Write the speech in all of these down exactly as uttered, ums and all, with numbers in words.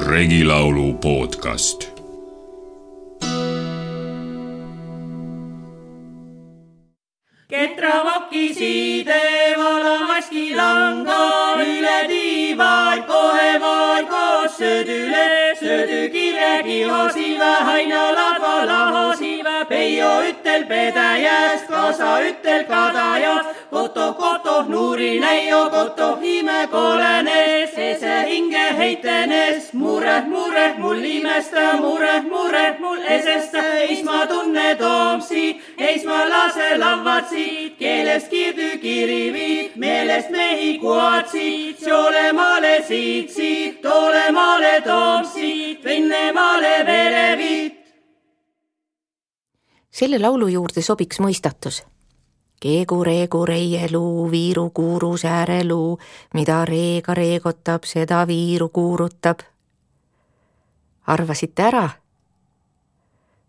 Regilaulu podcast. Ketravokki siide valamaski langa üle diivaid kohe vaid koos söödüle. Söödü kiregi hosiva hainalad vala hosiva. Peio ütel pedäjäst, kasa ütel kadajast. Koto, koto, nuuri näio, koto, hime kolenes. Ese hinge heitenes, mure, mure, mul imesta, mure, mure, mul esesta. Eis ma tunne toomsi, eis ma lase lavvatsi. Keelest kirdy kirivid, meelest mehi kuatsid. Siole maale siitsid, toole maale toomsid, venne maale verevid. Selle laulu juurde sobiks mõistatus. Keegu, reegu, reieluu, viiru, kuuru, sääreluu, mida reega reegotab, seda viiru kuurutab. Arvasite ära?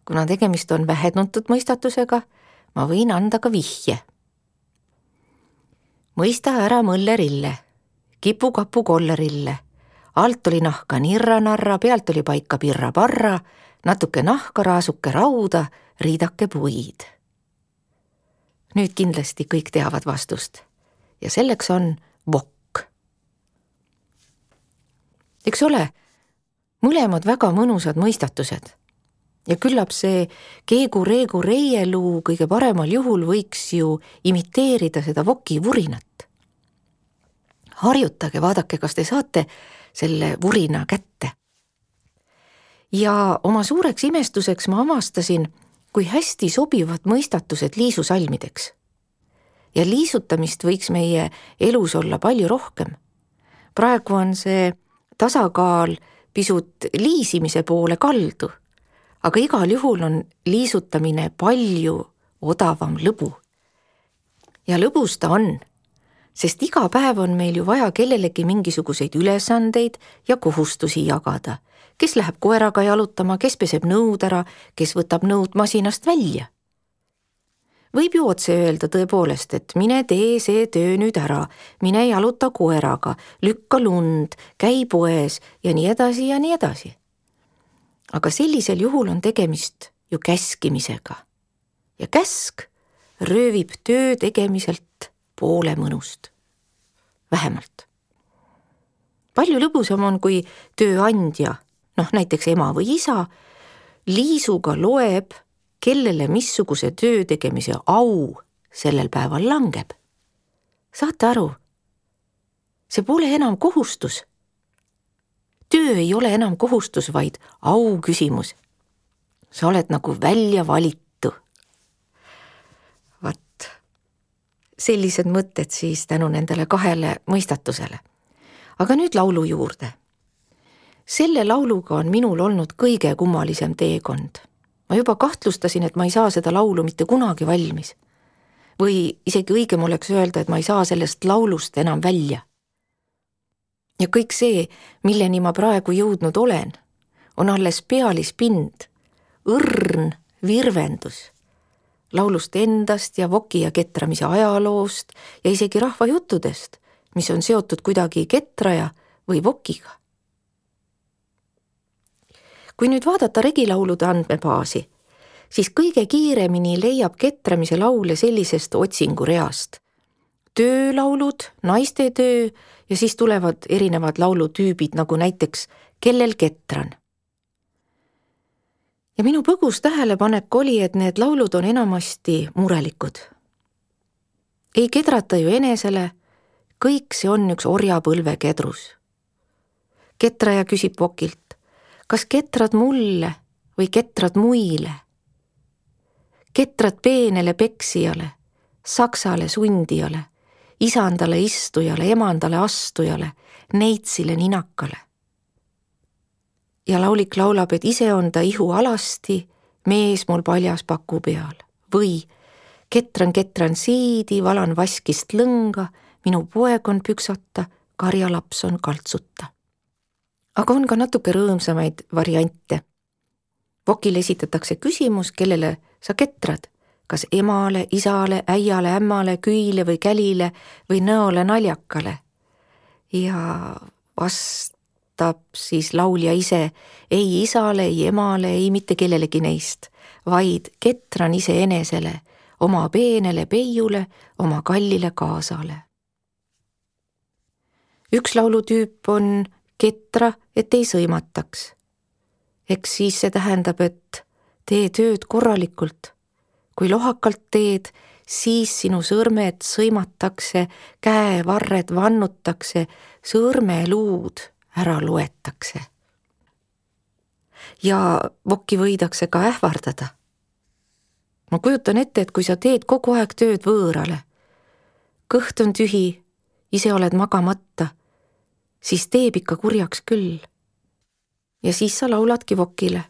Kuna tegemist on vähendatud mõistatusega, ma võin anda ka vihje. Mõista ära mõllerille, kipu-kapu kollerille. Alt oli nahka nirra-narra, pealt oli paika pirra-parra, natuke nahka, raasuke rauda, riidake puid. Nüüd kindlasti kõik teavad vastust. Ja selleks on vokk. Eks ole, mõlemad väga mõnusad mõistatused. Ja küllap see keegu, reegu, reieluu kõige paremal juhul võiks ju imiteerida seda voki vurinat. Harjutage, vaadake, kas te saate selle vurina kätte. Ja oma suureks imestuseks ma avastasin, kui hästi sobivad mõistatused liisusalmideks. Ja liisutamist võiks meie elus olla palju rohkem. Praegu on see tasakaal pisut liisimise poole kaldu. Aga igal juhul on liisutamine palju odavam lõbu. Ja lõbus ta on, sest iga päev on meil ju vaja kellelegi mingisuguseid ülesandeid ja kohustusi jagada. Kes läheb koeraga jalutama, kes peseb nõud ära, kes võtab nõud masinast välja. Võib ju otse öelda tõepoolest, et mine tee see töö nüüd ära, mine jaluta koeraga, lükka lund, käi poes ja nii edasi ja nii edasi. Aga sellisel juhul on tegemist ju käskimisega. Ja käsk röövib töö tegemiselt poole mõnust. Vähemalt. Palju lõbusam on, kui tööandja, noh näiteks ema või isa, liisuga loeb, kellele missuguse töö tegemise au sellel päeval langeb. Saate aru? See pole enam kohustus. Töö ei ole enam kohustus, vaid au küsimus. Sa oled nagu välja valitu. Vat, sellised mõtted siis tänu nendele kahele mõistatusele. Aga nüüd laulu juurde. Selle lauluga on minul olnud kõige kummalisem teekond. Ma juba kahtlustasin, et ma ei saa seda laulu mitte kunagi valmis. Või isegi õigem oleks öelda, et ma ei saa sellest laulust enam välja. Ja kõik see, milleni ma praegu jõudnud olen, on alles pealispind, õrn virvendus, laulust endast ja voki ja ketramise ajaloost ja isegi rahvajuttudest, mis on seotud kuidagi ketraja või vokiga. Kui nüüd vaadata regilaulude andmebaasi, siis kõige kiiremini leiab ketramise laule sellisest otsingureast. Töölaulud, naiste töö ja siis tulevad erinevad laulutüübid, nagu näiteks Kellel ketran. Ja minu põgus tähelepanek oli, et need laulud on enamasti murelikud. Ei kedrata ju enesele, kõik see on üks orjapõlve kedrus. Ketraja küsib vokilt, kas ketrad mulle või ketrad muile? Ketrad peenele peksijale, saksale sundijale, isandale istujale, emandale astujale, neitsile ninakale. Ja laulik laulab, et ise on ta ihu alasti, mees mul paljas paku peal. Või ketran, ketran siidi, valan vaskist lõnga, minu poeg on püksata, karjalaps on kaltsuta. Aga on ka natuke rõõmsamaid variante. Vokile esitatakse küsimus, kellele sa ketrad. Kas emale, isale, äiale, ämmale, küile või kälile või nõole naljakale. Ja vast vaatab siis laulja ise ei isale, ei emale, ei mitte kellelegi neist, vaid ketran iseenesele, oma peenele peiule, oma kallile kaasale. Üks laulutüüp on ketra, et ei sõimataks. Eks siis see tähendab, et tee tööd korralikult. Kui lohakalt teed, siis sinu sõrmed sõimatakse, käevarred vannutakse, sõrmeluud ära loetakse. Ja vokki võidakse ka ähvardada. Ma kujutan ette, et kui sa teed kogu aeg tööd võõrale, kõht on tühi, ise oled magamata, siis teeb ikka kurjaks küll. Ja siis sa lauladki vokile.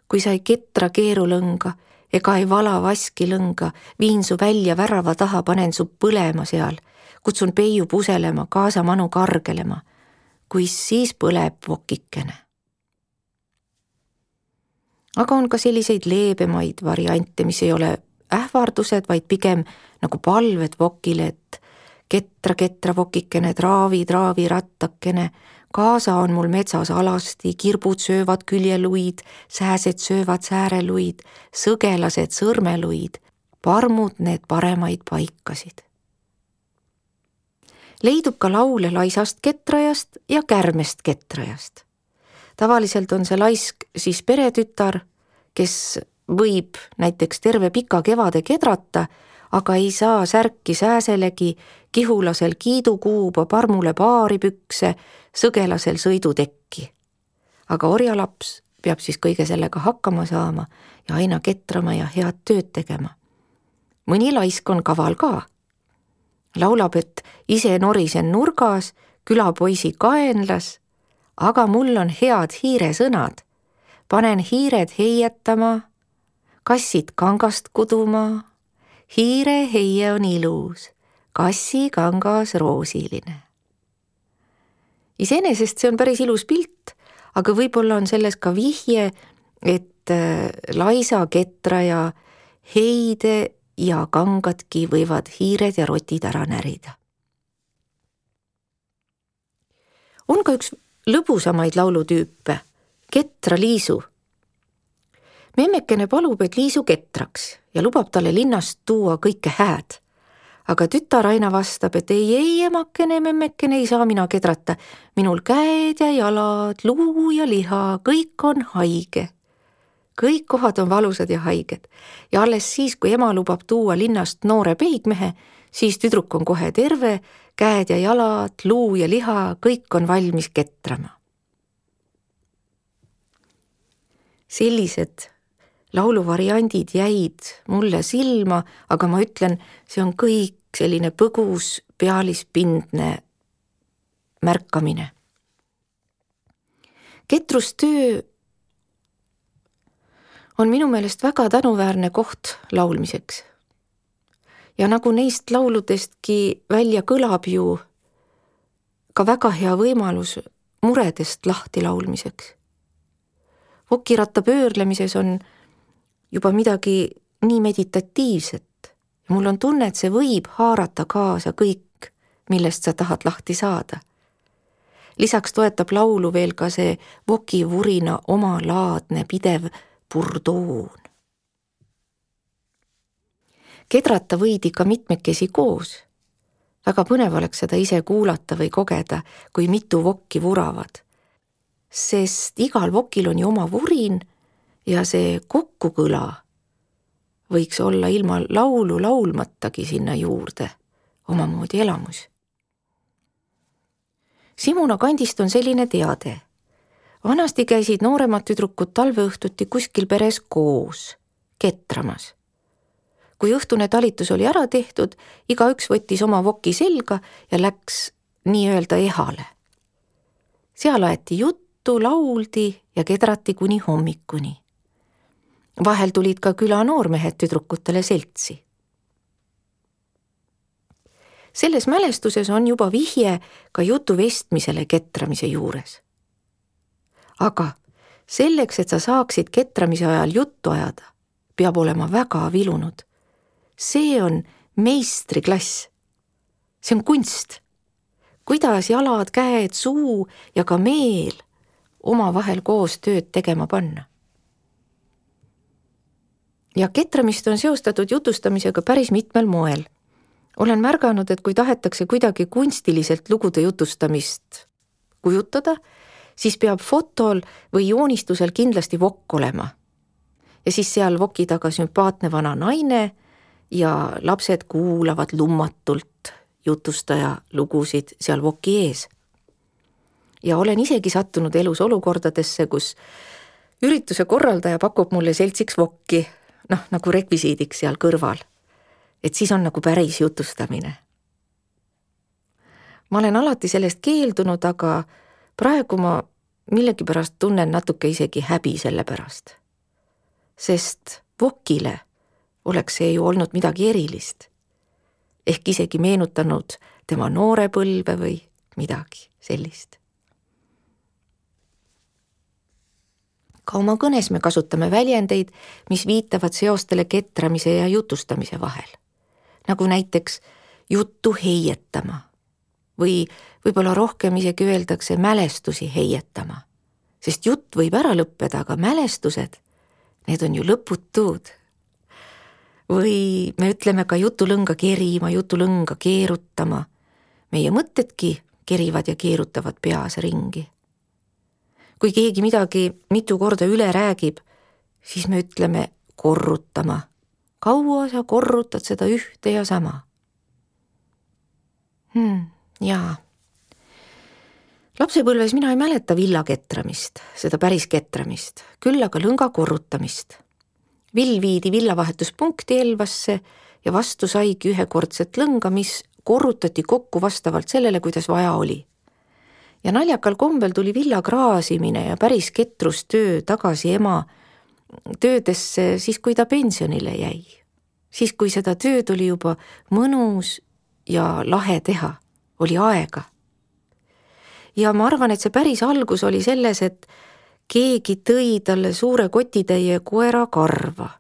Kui sa ei ketra keerulõnga, ega ei vala vaski lõnga, viin su välja värava taha, panen su põlema seal, kutsun peiu puselema, kaasa manu kargelema, kui siis põleb vokikene. Aga on ka selliseid leebemaid variante, mis ei ole ähvardused, vaid pigem nagu palved vokile, et ketra, ketra vokikene, traavi, traavi rattakene, kaasa on mul metsas alasti, kirbud söövad küljeluid, sääsed söövad sääreluid, sõgelased sõrmeluid, parmud need paremaid paikasid. Leidub ka laule laisast ketrajast ja kärmest ketrajast. Tavaliselt on see laisk siis peretütar, kes võib näiteks terve pika kevade kedrata, aga ei saa särki sääselegi, kihulasel kiidukuuba, parmule paari pükse, sõgelasel sõidutekki. Aga orjalaps peab siis kõige sellega hakkama saama ja aina ketrama ja head tööd tegema. Mõni laisk on kaval ka. Laulab, et ise norisen nurgas, külapoisi kaenlas, aga mul on head hiiresõnad. Panen hiired heietama, kassid kangast kuduma, hiire heie on ilus, kassi kangas roosiline. Iseenesest see on päris ilus pilt, aga võib-olla on selles ka vihje, et laisa, ketra ja heide ja kangadki võivad hiired ja rotid ära närida. On ka üks lõbusamaid laulutüüpe, ketra Liisu. Memmekene palub, et Liisu ketraks ja lubab talle linnast tuua kõike hääd. Aga tütar aina vastab, et ei, ei, emakene, memmekene, ei saa mina kedrata. Minul käed ja jalad, luu ja liha, kõik on haige. Kõik kohad on valusad ja haiged. Ja alles siis, kui ema lubab tuua linnast noore peigmehe, siis tüdruk on kohe terve, käed ja jalad, luu ja liha, kõik on valmis ketrama. Sellised lauluvariandid jäid mulle silma, aga ma ütlen, see on kõik selline põgus, pealispindne märkamine. Ketrustöö on minu meelest väga tänuväärne koht laulmiseks. Ja nagu neist lauludestki välja kõlab ju ka väga hea võimalus muredest lahti laulmiseks. Vokiratta pöörlemises on juba midagi nii meditatiivset. Mul on tunne, et see võib haarata kaasa kõik, millest sa tahad lahti saada. Lisaks toetab laulu veel ka see vokivurina omalaadne pidev purdoon. Kedrata võidi ka mitmekesi koos. Väga põnev oleks seda ise kuulata või kogeda, kui mitu vokki vuravad. Sest igal vokil on ju oma vurin ja see kokkukõla võiks olla ilma laulu laulmatagi sinna juurde, omamoodi elamus. Simuna kandist on selline teade. Vanasti käisid nooremad tüdrukud talveõhtuti kuskil peres koos, ketramas. Kui õhtune talitus oli ära tehtud, igaüks võttis oma voki selga ja läks nii-öelda ehale. Seal aeti juttu, lauldi ja kedrati kuni hommikuni. Vahel tulid ka küla noormehed tüdrukutele seltsi. Selles mälestuses on juba vihje ka jutu vestmisele ketramise juures. Aga selleks, et sa saaksid ketramise ajal juttu ajada, peab olema väga vilunud. See on meistriklass. See on kunst. kuidas jalad, käed, suu ja ka meel omavahel koos tööd tegema panna. Ja ketramist on seostatud jutustamisega päris mitmel moel. Olen märganud, et kui tahetakse kuidagi kunstiliselt lugude jutustamist kujutada, siis peab fotol või joonistusel kindlasti vokk olema. Ja siis seal voki taga sümpaatne vana naine ja lapsed kuulavad lummatult jutustaja lugusid seal voki ees. Ja olen isegi sattunud elus olukordadesse, kus ürituse korraldaja pakub mulle seltsiks vokki, noh, nagu rekvisiidiks seal kõrval. Et siis on nagu päris jutustamine. Ma olen alati sellest keeldunud, aga praegu ma millegipärast tunnen natuke isegi häbi selle pärast. Sest vokile oleks see ju olnud midagi erilist. Ehk isegi meenutanud tema noore põlve või midagi sellist. Ka oma kõnes me kasutame väljendeid, mis viitavad seostele ketramise ja jutustamise vahel. Nagu näiteks juttu heietama või võib-olla rohkem isegi öeldakse mälestusi heietama. Sest jutt võib ära lõppeda, aga mälestused, need on ju lõputud. Või me ütleme ka jutulõnga kerima, jutulõnga keerutama. Meie mõtedki kerivad ja keerutavad peas ringi. Kui keegi midagi mitu korda üle räägib, siis me ütleme korrutama. Kaua sa korrutad seda ühte ja sama? Hmm, jaa. Lapsepõlves mina ei mäleta villa ketramist, seda päris ketramist, küll aga lõnga korrutamist. Vill viidi villavahetuspunkti Elvasse ja vastu saigi ühekordset lõnga, mis korrutati kokku vastavalt sellele, kuidas vaja oli. Ja naljakal kombel tuli villa kraasimine ja päris ketrustöö tagasi ema töödesse siis, kui ta pensionile jäi. Siis, kui seda tööd oli juba mõnus ja lahe teha, oli aega. Ja ma arvan, et see päris algus oli selles, et keegi tõi talle suure kotitäie koera karva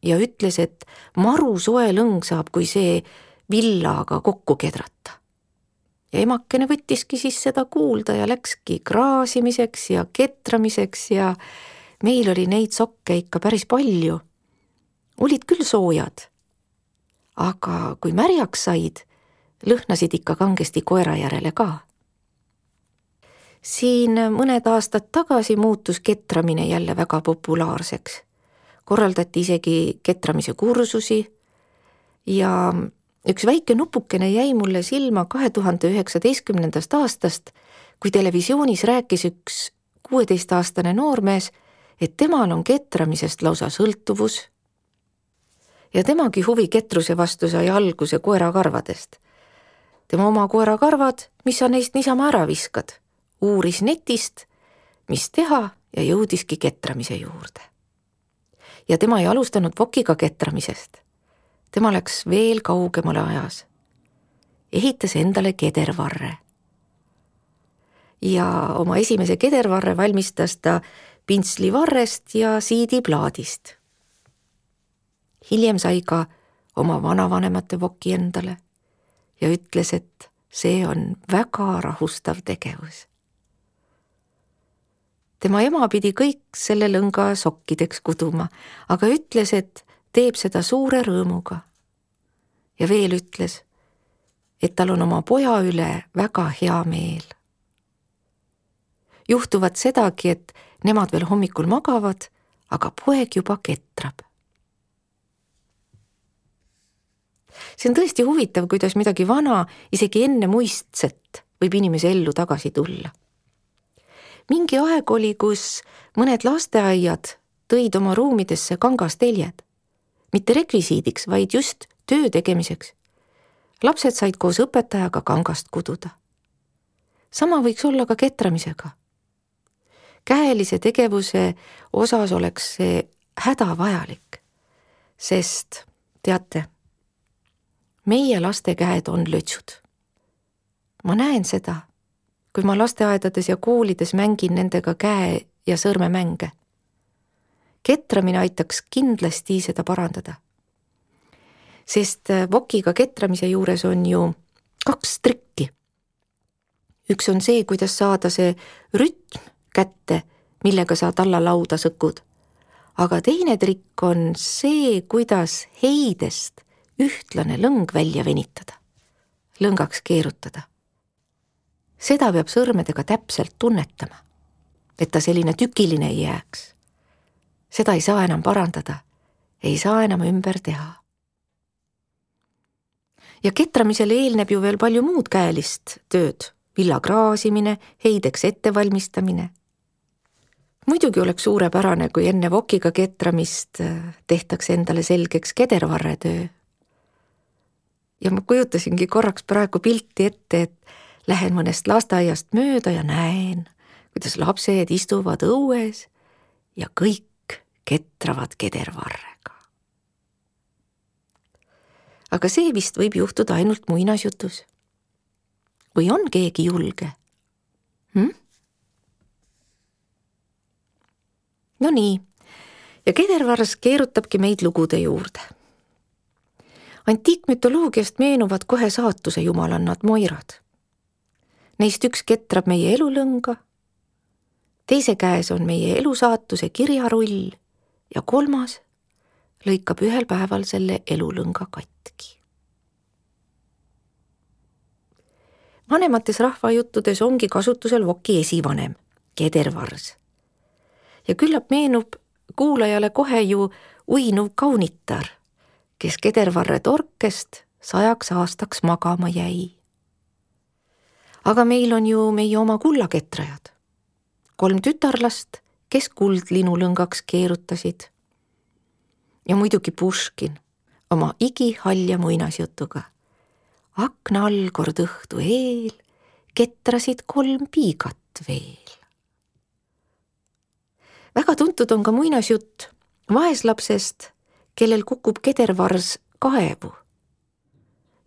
ja ütles, et maru soe lõng saab, kui see villaga kokku kedrata. Ja emakene võttiski siis seda kuulda ja läkski kraasimiseks ja ketramiseks ja meil oli neid sokke ikka päris palju. Olid küll soojad, aga kui märjaks said, lõhnasid ikka kangesti koera järele ka. Siin mõned aastad tagasi muutus ketramine jälle väga populaarseks. Korraldati isegi ketramise kursusi ja üks väike nupukene jäi mulle silma kahe tuhande üheksateistkümnendast aastast, kui televisioonis rääkis üks kuueteistaastane noormees, et temal on ketramisest lausa sõltuvus. Ja temagi huvi ketruse vastu sai alguse koerakarvadest. Tema oma koerakarvad, mis sa neist niisama ära viskad, uuris netist, mis teha ja jõudiski ketramise juurde. Ja tema ei alustanud vokiga ketramisest. Tema läks veel kaugemale ajas. Ehitas endale kedervarre. Ja oma esimese kedervarre valmistas ta pintslivarrest ja siidiplaadist. Hiljem sai ka oma vanavanemate voki endale ja ütles, et see on väga rahustav tegevus. Tema ema pidi kõik selle lõnga sokkideks kuduma, aga ütles, et teeb seda suure rõõmuga. Ja veel ütles, et tal on oma poja üle väga hea meel. Juhtuvad sedagi, et nemad veel hommikul magavad, aga poeg juba ketrab. See on tõesti huvitav, kuidas midagi vana isegi enne muistset võib inimese ellu tagasi tulla. Mingi aeg oli, kus mõned lasteaiad tõid oma ruumidesse kangasteljed. Mitte rekvisiidiks, vaid just töö tegemiseks. Lapsed said koos õpetajaga kangast kududa. Sama võiks olla ka ketramisega. Käelise tegevuse osas oleks see hädavajalik, sest teate, meie laste käed on lötsud. Ma näen seda, kui ma lasteaedades ja koolides mängin nendega käe ja sõrmemänge. Ketramine aitaks kindlasti seda parandada. Sest vokiga ketramise juures on ju kaks trikki. üks on see, kuidas saada see rütm kätte, millega sa tallalauda sõkud. Aga teine trikk on see, kuidas heidest ühtlane lõng välja venitada, lõngaks keerutada. Seda peab sõrmedega täpselt tunnetama, et ta selline tükiline ei jääks. Seda ei saa enam parandada, ei saa enam ümber teha. Ja ketramisele eelneb ju veel palju muud käelist tööd, villa kraasimine, heideks ettevalmistamine. Muidugi oleks suurepärane, kui enne vokiga ketramist tehtaks endale selgeks kedervarre töö. Ja ma kujutasingi korraks praegu pilti ette, et lähen mõnest lasteaiast mööda ja näen, kuidas lapsed istuvad õues ja kõik ketravad kedervarrega. Aga see vist võib juhtuda ainult muinasjutus. Või on keegi julge? Hm? No nii, ja kedervars keerutabki meid lugude juurde. Antiikmütoloogiast meenuvad kohe saatuse jumalannad Moirad. Neist üks ketrab meie elulõnga, teise käes on meie elusaatuse kirjarull ja kolmas lõikab ühel päeval selle elulõnga katki. Vanemates rahvajuttudes ongi kasutusel voki esivanem, kedervars. Ja küllap meenub kuulajale kohe ju uinuv kaunitar, kes kedervarre torkest sajaks aastaks magama jäi. Aga meil on ju meie oma kullaketrajad. Kolm tütarlast, kes kuldlinulõngaks keerutasid. Ja muidugi Puškin oma igihallja muinasjutuga. Akna all kord õhtu eel ketrasid kolm piigat veel. Väga tuntud on ka muinasjutt vaeslapsest, kellel kukub kedervars kaevu.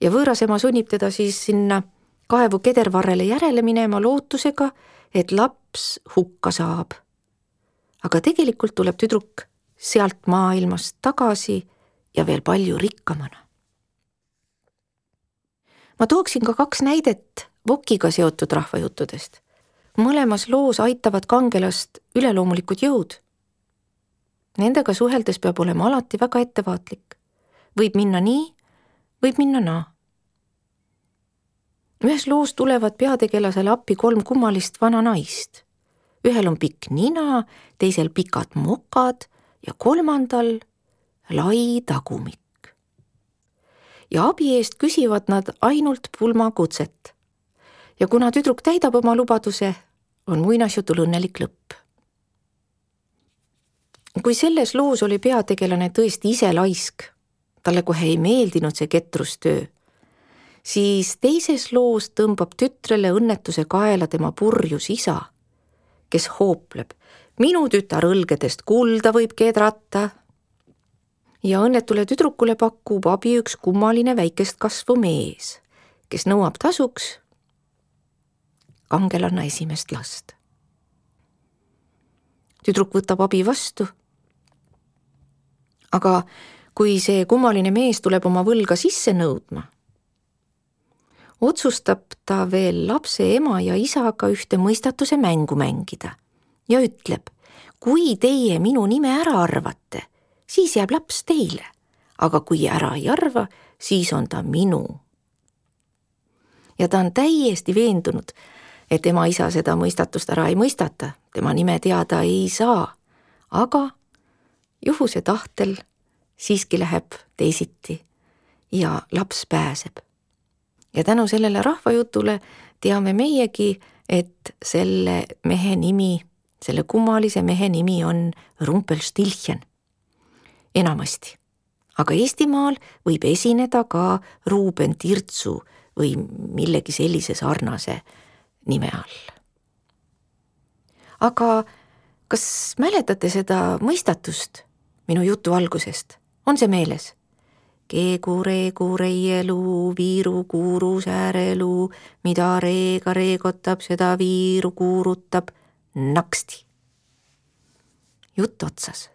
Ja võõrasema sunnib teda siis sinna kaevu kedervarrele järele minema lootusega, et laps hukka saab. Aga tegelikult tuleb tüdruk sealt maailmast tagasi ja veel palju rikkamana. Ma tooksin ka kaks näidet vokiga seotud rahvajuttudest. Mõlemas loos aitavad kangelast üleloomulikud jõud. Nendega suheldes peab olema alati väga ettevaatlik. Võib minna nii, võib minna naa. Ühes loos tulevad peategelasele appi kolm kummalist vana naist. Ühel on pikk nina, teisel pikad mokad ja kolmandal lai tagumik. Ja abi eest küsivad nad ainult pulmakutset. Ja kuna tüdruk täidab oma lubaduse, on muinasjutul õnnelik lõpp. Kui selles loos oli peategelane tõesti ise laisk, talle kohe ei meeldinud see ketrustöö, siis teises loos tõmbab tütrele õnnetuse kaela tema purjus isa, kes hoopleb, minu tütar õlgedest kulda võib kedrata. Ja õnnetule tüdrukule pakub abi üks kummaline väikest kasvu mees, kes nõuab tasuks kangelanna esimest last. Tüdruk võtab abi vastu, aga kui see kummaline mees tuleb oma võlga sisse nõudma, otsustab ta veel lapse ema ja isaga ühte mõistatuse mängu mängida ja ütleb, kui teie minu nime ära arvate, siis jääb laps teile, aga kui ära ei arva, siis on ta minu. Ja ta on täiesti veendunud, et ema isa seda mõistatust ära ei mõistata, tema nime teada ei saa, aga juhuse tahtel siiski läheb teisiti ja laps pääseb. Ja tänu sellele rahvajutule teame meiegi, et selle mehe nimi, selle kummalise mehe nimi on Rumpelstiltsjen. Enamasti. Aga Eestimaal võib esineda ka Ruuben Tirtsu või millegi sellise sarnase nime all. Aga kas mäletate seda mõistatust minu jutu algusest? On see meeles? Keegu, reegu, reielu, viiru, kuuru, säärelu, mida reega reegotab, seda viiru kuurutab naksti. Jutt otsas.